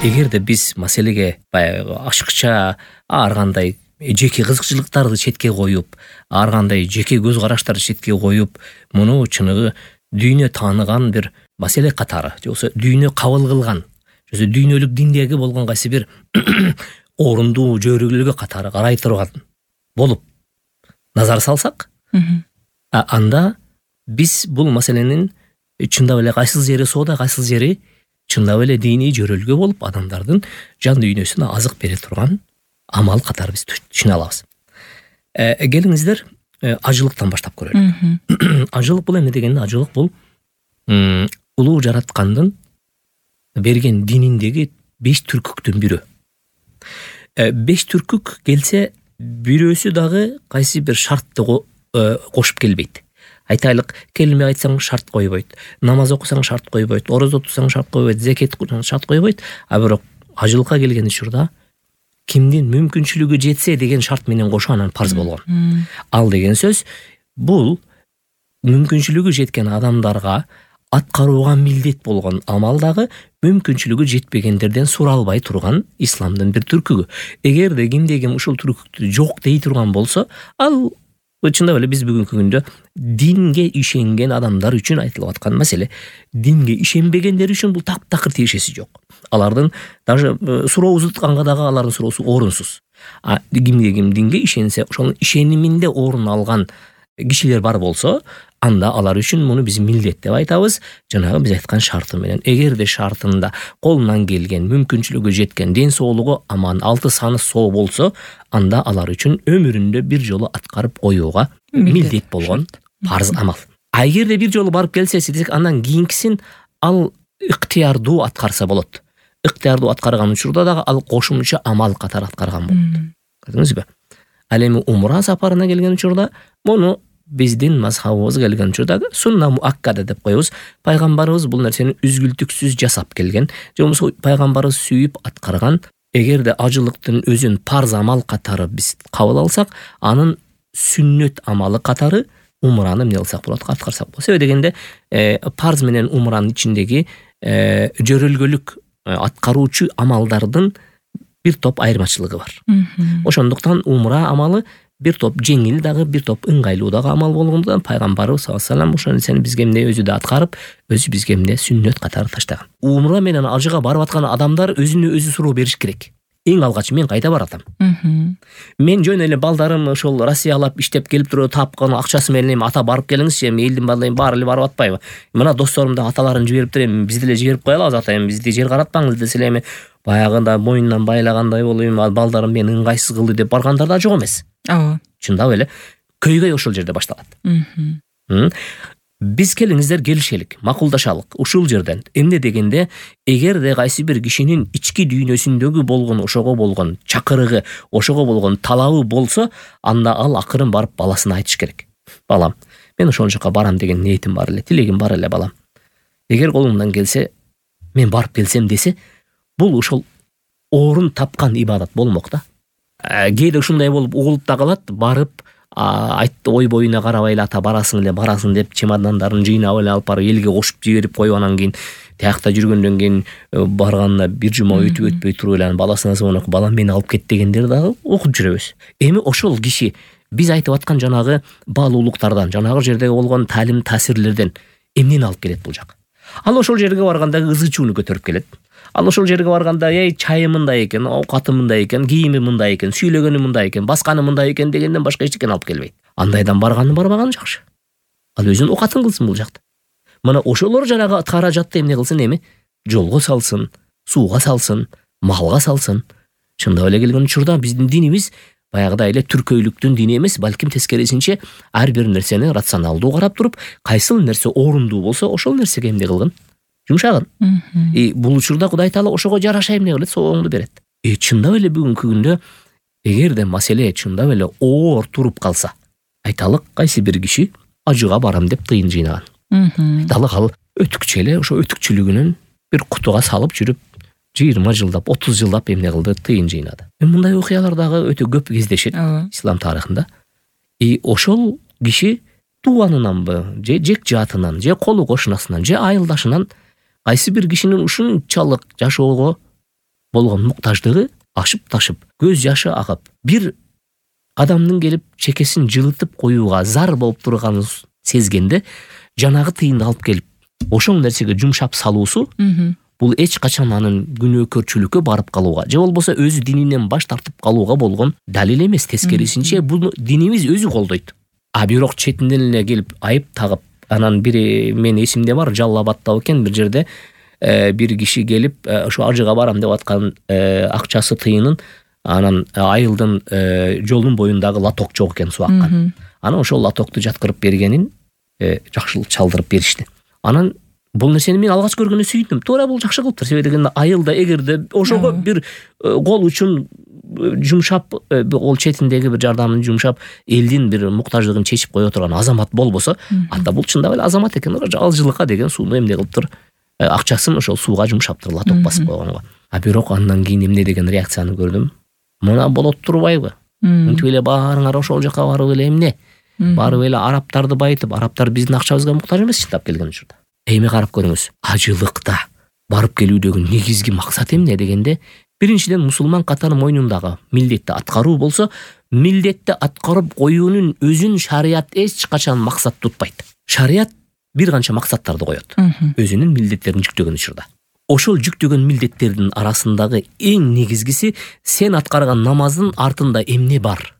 Эгерде биз маселеге баягы ашыкча ар кандай жеке кызыкчылыктарды четке коюп, ар кандай жеке көз караштарды четке коюп, муну чыныгы дүйнө тааныган бир маселе катары, же болбосо дүйнө кабыл кылган, же болбосо дүйнөлүк диндеги болгон кайсы бир орунду жөрүгүлүгү катары карай турган болуп назар салсак, анда биз бул маселенин чындап эле кайсыл жери соода, кайсыл жери чындап эле диний жөрөлгө болуп адамдардын жан дүйнөсүнө азык бере турган амал катары биз түшүнө алабыз. Келиңиздер ажылыктан баштап көрөлүк. Ажылык бул эмне дегенде, ажылык бул улуу жараткандын берген дининдеги 5 түркүктүн бирөө. 5 түркүк келсе, бирөөсү дагы кайсы бир шартты кошуп келбейт. Айтайлык, келме айтсаң шарт койбойт, намаз окусаң шарт койбойт, орозо тутсаң шарт койбойт, зекет кылсаң шарт койбойт, а бирок ажылыкка келген учурда кимдин мүмкүнчүлүгү жетсе деген шарт менен кошо анан парз болгон. Ал деген сөз бул мүмкүнчүлүгү жеткен адамдарга аткарууга милдет болгон амал дагы мүмкүнчүлүгү жетпегендерден суралбай турган исламдын бир түркүгү. Эгерде кимде ким ушул түркүктү жок дей турган болсо, ал чындап эле биз бүгүнкү күндө динге ишенген адамдар үчүн айтылып аткан маселе. Динге ишенбегендер үчүн бул таптакыр тиешеси жок. Алардын даже суроо узатканга дагы алардын суроосу орунсуз. Кимде ким динге ишенсе, ошонун ишениминде орун алган кишилер бар болсо, анда алар үчүн муну биз милдет деп айтабыз. Жанагы биз айткан шарты менен. Эгерде шартында колунан келген, мүмкүнчүлүгү жеткен, ден соолугу аман, алты саны соо болсо, анда алар үчүн өмүрүндө бир жолу аткарып коюуга милдет болгон парз амал. Эгерде бир жолу барып келсе десек, андан кийинкисин ал ыктыярдуу аткарса болот. Ыктыярдуу аткарган учурда дагы ал кошумча амал катары аткарган болот. Көрдүңүзбү? Ал эми умра сапарына келген учурда муну биздин мазхабыбыз келген учурда сунна муаккада деп коебуз. Пайгамбарыбыз бул нерсени үзгүлтүксүз жасап келген, же болбосо пайгамбарыбыз сүйүп аткарган. Эгерде ажылыктын өзүн парз амал катары биз кабыл алсак, анын сүннөт амалы катары умраны эмне кылсак болот, аткарсак болот. Себеби дегенде парз менен умранын ичиндеги жөрөлгөлүк аткаруучу амалдардын бир топ айырмачылыгы бар. Ошондуктан умра амалы бир топ жеңил дагы, бир топ ыңгайлуу дагы амал болгондуктан пайгамбарыбыз саллаллаху алейхи вассалам ошол нерсени бизге эмне өзү да аткарып, өзү бизге эмне сүннөт катары таштаган. Умра менен ажыга барып аткан адамдар өзүнө өзү суроо бериш керек. Эң алгач мен кайда баратам? Мен жөн эле балдарым ошол Россиялап иштеп келип туруп тапкан акчасы менен ата барып келиңизчи, элдин балдары баары эле барып атпайбы? Мына досторум да аталарын жибериптир, эми бизди эле жиберип коелабыз ата, эми бизди жер каратпаңыз десе эле, эми баягында мойнунан байлагандай болуп, балдарым мени ыңгайсыз кылды деп баргандар да жок эмес. Ооба. Чындап эле көйгөй ошол жерде башталат. Биз келиңиздер келишелик, макулдашалык ушул жерден. Эмне дегенде, эгерде кайсы бир кишинин ички дүйнөсүндөгү болгон ошого болгон чакырыгы, ошого болгон талабы болсо, анда ал акырын барып баласына айтыш керек. Балам, мен ошол жака барам деген ниетим бар эле, тилегим бар эле балам. Эгер колуңдан келсе, мен барып келсем десе, бул ошол орун тапкан ибадат болмок да. Кээде ушундай болуп угулуп да калат, барып айтты ой боюна карабай эле ата барасың деп чемодандарын жыйнап эле алып барып элге кошуп жиберип коюп, анан кийин тиякта жүргөндөн кийин барганына бир жума өтпөй туруп эле баласына звонок, балам мени алып кет дегендер дагы окуп жүрөбүз. Эми ошол киши биз айтып аткан жанагы баалуулуктардан, жанагы жердеги болгон таалим таасирлерден эмнени алып келет бул жак? Ал ошол жерге барганда ызы чууну көтөрүп келет. Ал ошол жерге барганда чайы мындай экен, оокаты мындай экен, кийими мындай экен, сүйлөгөнү мындай экен, басканы мындай экен дегенден башка эчтеке алып келбейт. Андайдан барганы барбаганы жакшы. Ал өзүнүн оокатын кылсын бул жакта. Мына ошолор жанагы каражатты эмне кылсын, эми жолго салсын, сууга салсын, малга салсын. Чындап эле келген учурда биздин динибиз баягыдай эле түркөйлүктүн дини эмес, балким тескерисинче ар бир нерсени рационалдуу карап туруп, кайсыл нерсе орундуу болсо, ошол нерсеге эмне кылгын? Жумшагын. Бул учурда Кудай Таала ошого жараша эмне кылат? Сооңду берет. Чындап эле бүгүнкү күндө эгерде маселе чындап эле оор туруп калса, айталык кайсы бир киши ажыга барам деп тыйын жыйнаган. Айталык ал өтүкчө эле ошо өтүкчүлүгүнөн бир кутуга салып жүрүп 20 жылдап, 30 жылдап эмне кылды? Тыйын жыйнады. Мындай окуялар дагы өтө көп кездешет ислам тарыхында. Ошол киши тууганынанбы, же жек жаатынан, же колу кошунасынан, же айылдашынан кайсы бир кишинин ушунчалык жашоого болгон муктаждыгы ашып ташып, көз жашы агып, бир адамдын келип чекесин жылытып коюуга зар болуп турганын сезгенде жанагы тыйынды алып келип ошол нерсеге жумшап салуусу бул эч качан анын күнөөкөрчүлүккө барып калууга же болбосо өзү дининен баш тартып калууга болгон далил эмес. Тескерисинче бул динибиз өзү колдойт. А бирок четинен эле келип айып тагып, анан бири мен эсимде бар, Жалал Абадта экен бир жерде бир киши келип ошо ажыга барам деп аткан акчасы тыйынын анан айылдын жолдун боюндагы лоток жок экен, суу аккан. Анан ошол лотокту жаткырып бергенин жакшылык чалдырып беришти. Анан бул нерсени мен алгач көргөндө сүйдүм. Туура бул жакшы кылыптыр. Себеби дегенде айылда эгерде ошого бир кол үчүн жумшап, ол четиндеги бир жардамын жумшап, элдин бир муктаждыгын чечип кое турган азамат болбосо, анда бул чындап эле азамат экен. Алжылыкка деген сууну эмне кылыптыр? Акчасын ошол сууга жумшаптыр, лоток басып койгонго. А бирок андан кийин эмне деген реакцияны көрдүм. Мына болот турбайбы? Мынтип эле баарыңар ошол жака барып эле эмне? Барып эле арабтарды байытып, арабтар биздин акчабызга муктаж эмес чындап келген учурда. Эми карап көрүңүз. Ажылыкта барып келүүдөгү негизги максат эмне дегенде, биринчиден мусулман катары мойнундагы милдетти аткаруу болсо, милдетти аткарып коюунун өзүн шарият эч качан максат тутпайт. Шарият бир канча максаттарды коет. Өзүнүн милдеттерин жүктөгөн учурда. Ошол жүктөгөн милдеттердин арасындагы эң негизгиси сен аткарган намаздын артында эмне бар?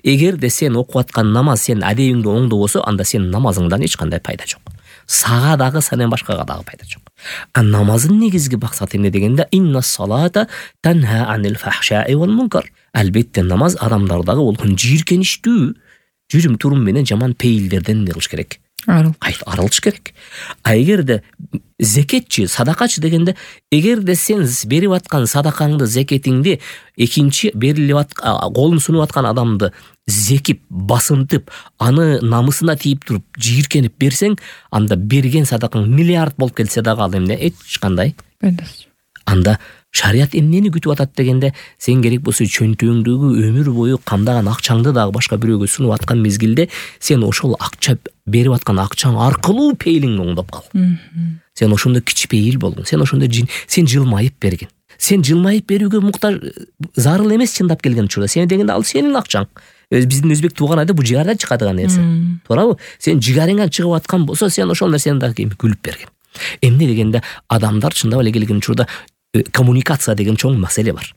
Эгерде сен окуп аткан намаз сен адебиңди оңдобосо, анда сенин намазыңдан эч кандай пайда жок. Сага дагы, сенен башкага дагы пайда жок. А намаздын негизги максаты эмне дегенде, инна салата танха анил фахшаи вал мункар. Албетте намаз адамдардагы болгон жийиркеничтүү жүрүм турум менен жаман пейилдерден не кылыш керек? Арылыш керек. А эгерде зекетчи, садакачы дегенде, эгерде сен берип аткан садакаңды, зекетиңди экинчи берилип аткан, колун сунуп аткан адамды зекип, басынтып, аны намысына тийип туруп, жийиркенип берсең, анда берген садакаң миллиард болуп келсе дагы ал эмне? Эч кандай пайдасы. Анда шарият эмнени күтүп атат дегенде, сен керек болсо чөнтөгүңдөгү өмүр бою камдаган акчаңды дагы башка бирөөгө сунуп аткан мезгилде, сен ошол акча берип аткан акчаң аркылуу пейлиңди оңдоп кал. Сен ошондо кичпейил болгон. Сен ошондо сен жылмайып берген. Сен жылмайып берүүгө муктаж зарыл эмес чындап келген учурда. Сен дегенде ал сенин акчаң. Биздин өзбек тууганада бул жигардан чыгадыган нерсе. Туурабы? Сен жигарыңан чыгып аткан болсо, сен ошол нерсени дагы күлүп берген. Эмне дегенде, адамдар чындап эле келген учурда коммуникация деген чоң маселе бар.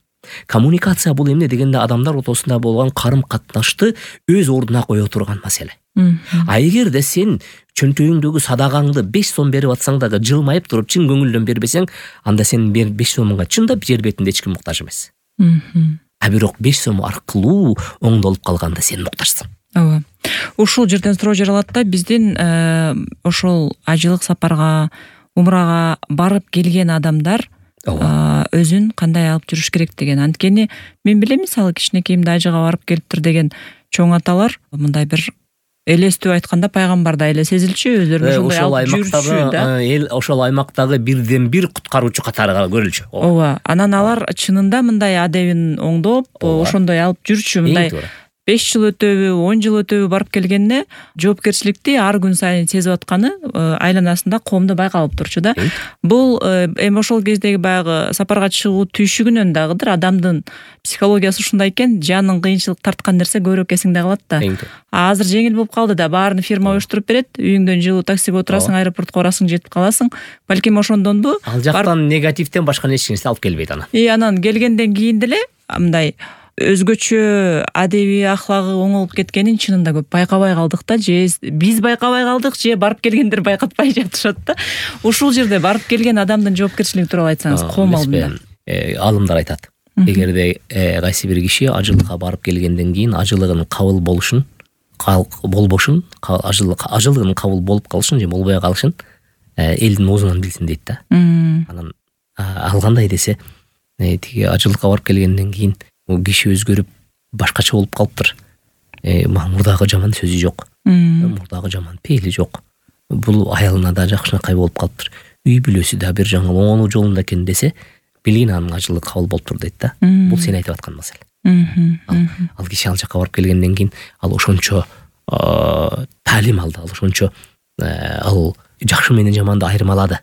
Коммуникация бул эмне дегенде, адамдар ортосунда болгон карым-катнашты өз ордуна кое турган маселе. А эгерде сен чөнтөгүңдөгү садагаңды 5 сом берип атсаң дагы жылмайып туруп чын көңүлдөн бербесең, анда сенин 5 сомуңга чындап жер бетинде эч ким муктаж эмес. А бирок 5 сом аркылуу оңдолуп калганда сен муктажсың. Ооба. Ушул жерден суроо жаралат да, биздин ошол ажылык сапарга, умрага барып келген адамдар өзүн кандай алып жүрүш керек деген. Анткени мен билем, мисалы кичинекейимде ажыга барып келиптир деген чоң аталар мындай бир элестүү айтканда пайгамбарда эле сезилчү, өздөрүн ошондой алып жүрүшчү да. Ошол аймактагы бирден бир куткаруучу катары көрүлчү. Ооба. Анан алар чынында мындай адебин оңдоп, ошондой алып жүрчү, мындай 5 жыл өтөбү, 10 жыл өтөбү барып келгенде жоопкерчиликти ар күн сайын сезип атканы айланасында коомдо байкалып турчу да. Бул эми ошол кездеги баягы сапарга чыгуу түйшүгүнөн дагыдыр, адамдын психологиясы ушундай экен, жаның кыйынчылык тарткан нерсе көбүрөөк эсиңде калат да. Азыр жеңил болуп калды да, баарын фирма уюштуруп берет, үйүңдөн жылуу таксиге отурасың, аэропортко барасың, жетип каласың. Балким ошондонбу? Ал жактан негативден башка нерсе алып келбейт анан. Анан келгенден кийин деле мындай өзгөчө адеби ахлагы оңолуп кеткенин чынында көп байкабай калдык да, же биз байкабай калдык, же барып келгендер байкатпай жатышат да. Ушул жерде барып келген адамдын жоопкерчилиги тууралуу айтсаңыз, коом алдында. Алымдар айтат. Эгерде кайсы бир киши ажылыкка барып келгенден кийин ажылыгынын кабыл болбошун, ажылыгынын кабыл болуп калышын же болбой калышын элдин оозунан билсин дейт да. Анан ал кандай десе, тиги ажылыкка барып келгенден кийин киши өзгөрүп башкача болуп калыптыр. Мурдагы жаман сөзү жок. Мурдагы жаман пейили жок. Бул аялына да жакшынакай болуп калыптыр. Үй бүлөсү да бир жаңы оңолуу жолунда экен десе, билгин анын ажылыгы кабыл болуптур дейт да. Бул сен айтып аткан маселе. Ал киши ал жака барып келгенден кийин ал ошончо таалим алды, ал ошончо ал жакшы менен жаманды айырмалады.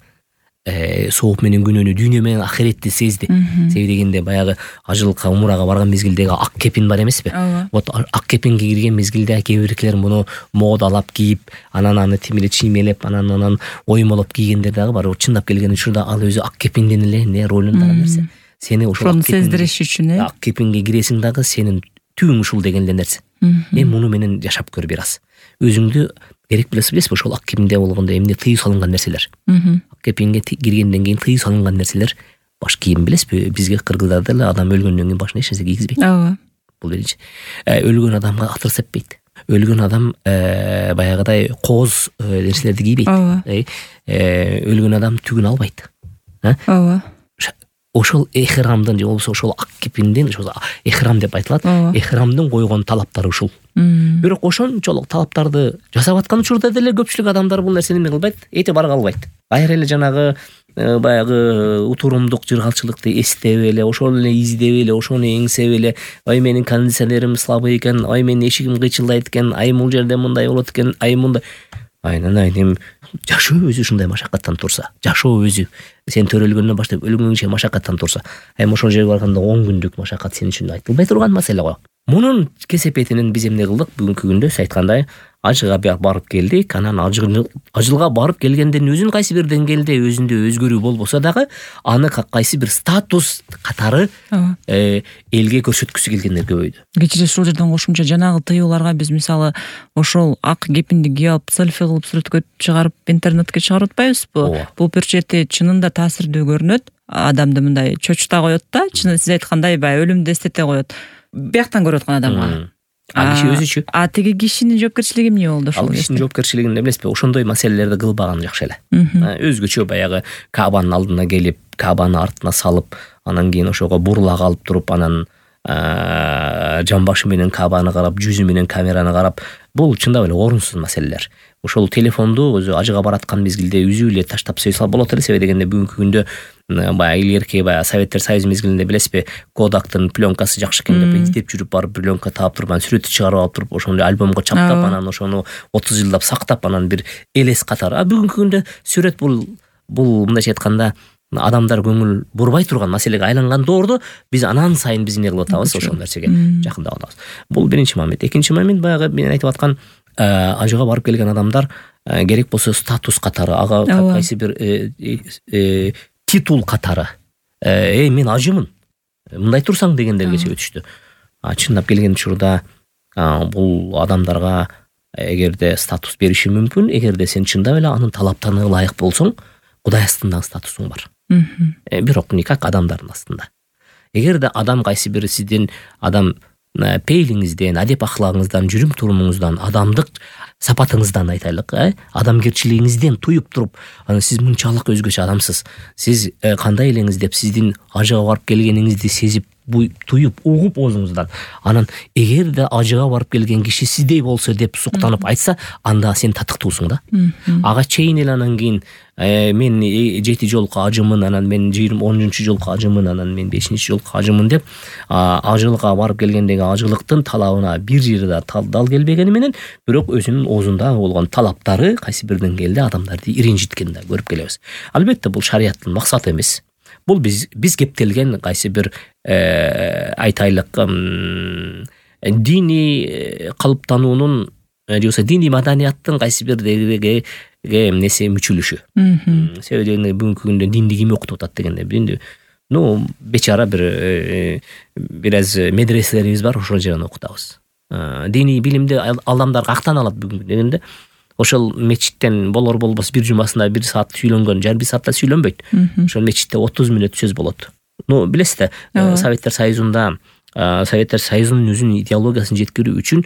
сооп менен күнөөнү, дүйнө менен ахиретти сезди. Себеби дегенде баягы ажылыкка, умурага барган мезгилдеги ак кепин бар эмеспи? Вот ак кепинге кирген мезгилде кээ биркилер муну модалап кийип, анан аны тим эле чиймелеп, анан оймолоп кийгендер дагы бар. Чындап келген учурда ал өзү ак кепиндин эле эмне ролундагы нерсе. Сени ошол сездириш үчүн, ак кепинге киресиң дагы сенин түбүң ушул деген эле нерсе. Муну менен жашап көр бир аз. Өзүңдү керек билесиз, ошол ак кепинде болгондо эмне тыюу салынган нерселер. Ак кепинге киргенден кийин тыюу салынган нерселер баш кийим, билесизби? Бизге кыргыздарда эле адам өлгөндөн кийин башына эч нерсе кийгизбейт. Ооба. Бул биринчи. Өлгөн адамга атыр сеппейт. Өлгөн адам баягыдай кооз нерселерди кийбейт. Өлгөн адам түгүн албайт. Ооба. Ошол эхрамдын же болбосо ошол ак кепиндин, ошол эхрам деп айтылат. Эхрамдын койгон талаптары ушул. Бирок ошончолук талаптарды жасап аткан учурда деле көпчүлүк адамдар бул нерсени эмне кылбайт? Эте барга албайт. Кайра эле жанагы баягы утурумдук жыргалчылыкты эстеп эле, ошол эле издеп эле, ошону эңсеп эле, ай менин кондиционерим слабый экен, ай менин эшигим кыйчылдайт экен, ай бул жерде мындай болот экен, ай мындай. Айнан жашоо өзү ушундай машакаттан турса, жашоо өзү сен төрөлгөндөн баштап өлгөнгө машакаттан турса, ошол жерге барганда 10 күндүк машакат сен үчүн айтылбай турган маселе го. Мунун кесепетинен биз эмне кылдык? Бүгүнкү күндө сиз айткандай ажыга барып келдик. Анан ажылга барып келгенден өзүн кайсы бир деңгээлде өзүндө өзгөрүү болбосо дагы аны кайсы бир статус катары элге көрсөткүсү келгендер көбөйдү. Кечиресиз, ушул жерден кошумча жанагы тыюуларга биз мисалы ошол ак кепинди кийип алып селфи кылып сүрөткө чыгарып интернетке чыгарып атпайбызбы? Бул бир чети чынында таасирдүү көрүнөт. Адамды мындай чочута коет да, чын сиз айткандай баягы өлүмдү эстете коет. Бияктан көрүп аткан адамга. Киши өзүчү. Тиги кишинин жоопкерчилиги эмне болду ошол? Кишинин жоопкерчилигин эмеспи? Ошондой маселелерди кылбаган жакшы эле. Өзгөчө баягы Каабанын алдына келип, Каабаны артына салып, анан кийин ошого бурула калып туруп, анан жамбашы менен Каабаны карап, жүзү менен камераны карап, бул чындап эле орунсуз маселелер. Ошол телефонду өзү ажыга бараткан мезгилде үзүп эле таштап сөйсө болот эле. Себеби дегенде бүгүнкү күндө баягы илгерки Советтер Союзу мезгилинде билесизби, Kodak'тын пленкасы жакшы экен деп издеп жүрүп барып пленка таап туруп, анан сүрөтү чыгарып алып туруп, ошону альбомго чаптап, анан ошону 30 жылдап сактап, анан бир элес катары. Бүгүнкү күндө сүрөт бул мындайча айтканда адамдар көңүл бурбай турган маселеге айланган доордо биз анан сайын биз эмне кылып атабыз? Ошол нерсеге жакындап атабыз. Бул биринчи момент. Экинчи момент, баягы мен айтып аткан ажыга барып келген адамдар керек болсо статус катары, ага кайсы бир титул катары, мен ажымын, мындай турсаң дегендергече өтүштү. Чындап келген учурда бул адамдарга эгерде статус бериши мүмкүн, эгерде сен чындап эле анын талаптарына ылайык болсоң, Кудай астында статусуң бар. Бирок никак адамдардын астында. Эгерде адам кайсы бир сиздин адам пейлиңизден, адеп ахлагыңыздан, жүрүм турумуңуздан, адамдык сапатыңыздан айтайлык, адамгерчилигиңизден туюп туруп, анан сиз мынчалык өзгөчө адамсыз, сиз кандай элеңиз деп сиздин ажыга барып келгениңизди сезип, туюп, угуп өзүңүздөн, анан эгерде ажыга барып келген киши сиздей болсо деп суктанып айтса, анда сен татыктуусуң да. Ага чейин эле анан кийин мен 7 жолку ажымын, анан мен 10 жолку ажымын, анан мен 5 жолку ажымын деп ажылыкка барып келгендеги ажылыктын талабына бир жерде дал келбегени менен, бирок өзүнүн оозунда болгон талаптары кайсы бир деңгээлде адамдарды иринжиткенин да көрүп келебиз. Албетте бул шарияттын максаты эмес. Бул биз кептелген кайсы бир айтайлык диний калыптануунун же болбосо диний маданияттын кайсы бир эмнеси мүчүлүшү. Себеби бүгүнкү күндө динди ким окутуп атат дегенде, бечара бир аз медреселерибиз бар, ошол жерден окутабыз. Диний билимди адамдар кактан алат бүгүнкү дегенде, ошол мечиттен болор болбос бир жумасында 1 саат сүйлөнгөн, жарым саатта сүйлөнбөйт. Ошол мечитте 30 мүнөт сөз болот. Билесиз да, Советтер Союзунда Советтер Союзунун өзүнүн идеологиясын жеткирүү үчүн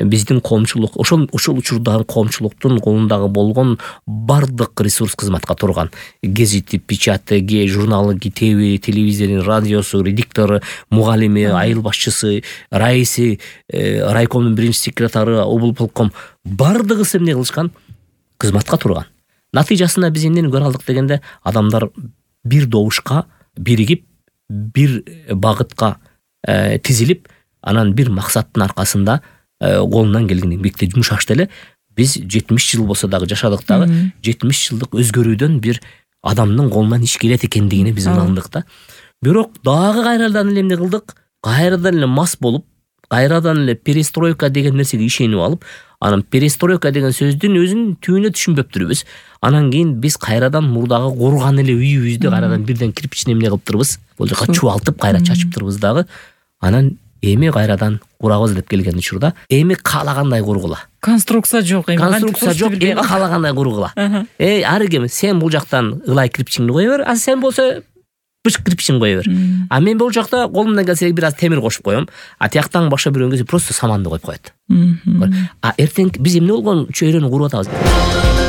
биздин коомчулук, ошол учурдагы коомчулуктун колундагы болгон бардык ресурс кызматка турган. Гезити, печаты, журналы, китеби, телевизору, радиосу, редиктору, мугалими, айыл башчысы, раиси, райкомдун биринчи секретары, облполком бардыгысы эмне кылышкан? Кызматка турган. Натыйжасында биз эмнени көрө алдык дегенде, адамдар бир добушка биригип, бир багытка тизилип, анан бир максаттын аркасында колунан келген эмгекте жумшашты эле. Биз 70 жыл болсо дагы жашадык дагы, 70 жылдык өзгөрүүдөн бир адамдын колунан иш келет экендигине биз ынандык да. Бирок дагы кайрадан эле эмне кылдык? Кайрадан эле мас болуп, кайрадан эле перестройка деген нерсеге ишенип алып, анан перестройка деген сөздүн өзүн түбүнө түшүнбөптүрбүз. Анан кийин биз кайрадан мурдагы курган эле үйүбүздү кайрадан бирден кирпичин эмне кылыптырбыз? Бул жака чубалтып кайра чачыптырбыз дагы. Анан эми кайрадан курабыз деп келген учурда эми каалагандай кургула. Конструкция жок, эми конструкция жок, эми каалагандай кургула. Ар ким сен бул жактан ылай кирпичиңди кое бер, а сен болсо бышык кирпичиң кое бер. А мен бул жакта колумдан келсе бир аз темир кошуп коем. А тияктан башка бирөөнүн келсе просто саманды коюп коет. А эртең биз эмне болгон чөйрөнү куруп атабыз?